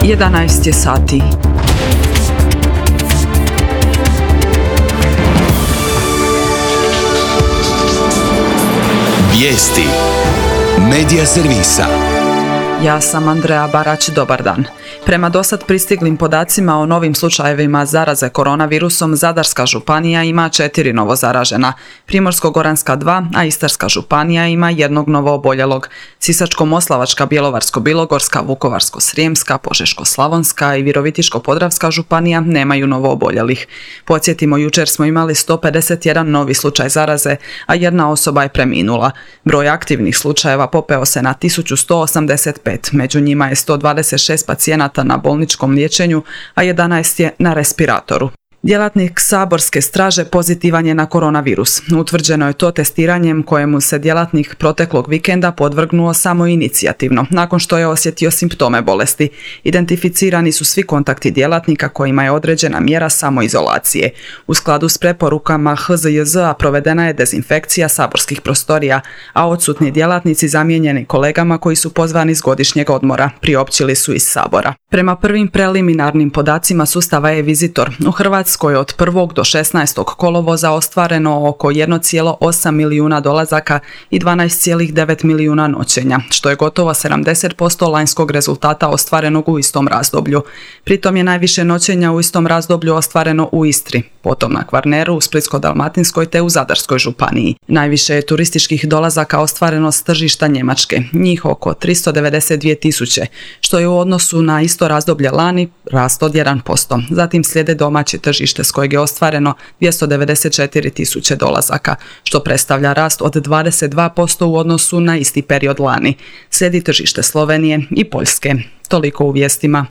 11 je sati. Vijesti Medija servisa. Ja sam Andreja Barać, dobar dan. Prema dosad pristiglim podacima o novim slučajevima zaraze koronavirusom, Zadarska županija ima 4 novozaražena, Primorsko-goranska 2, a Istarska županija ima 1 novooboljelog. Sisačko-moslavačka, Bjelovarsko-bilogorska, Vukovarsko-srijemska, Požeško-slavonska i Virovitičko-podravska županija nemaju novooboljelih. Podsjetimo, jučer smo imali 151 novi slučaj zaraze, a 1 osoba je preminula. Broj aktivnih slučajeva popeo se na 1185, među njima je 126 pacijenata na bolničkom liječenju, a 11 je na respiratoru. Djelatnik saborske straže pozitivan je na koronavirus. Utvrđeno je to testiranjem kojemu se djelatnik proteklog vikenda podvrgnuo samoinicijativno, nakon što je osjetio simptome bolesti. Identificirani su svi kontakti djelatnika kojima je određena mjera samoizolacije. U skladu s preporukama HZJZ-a provedena je dezinfekcija saborskih prostorija, a odsutni djelatnici zamijenjeni kolegama koji su pozvani s godišnjeg odmora, priopćili su iz Sabora. Prema prvim preliminarnim podacima sustava e-Vizitor, u Hrvatskoj od 1. do 16. kolovoza ostvareno oko 1,8 milijuna dolazaka i 12,9 milijuna noćenja, što je gotovo 70% lanjskog rezultata ostvarenog u istom razdoblju. Pritom je najviše noćenja u istom razdoblju ostvareno u Istri, potom na Kvarneru, u Splitsko-dalmatinskoj te u Zadarskoj županiji. Najviše je turističkih dolazaka ostvareno s tržišta Njemačke, njih oko 392 tisuće, što je u odnosu na isto razdoblje lani rast od 1%. Zatim slijede domaće tržište s kojeg je ostvareno 294 tisuće dolazaka, što predstavlja rast od 22% u odnosu na isti period lani. Slijedi tržište Slovenije i Poljske. Toliko u vijestima.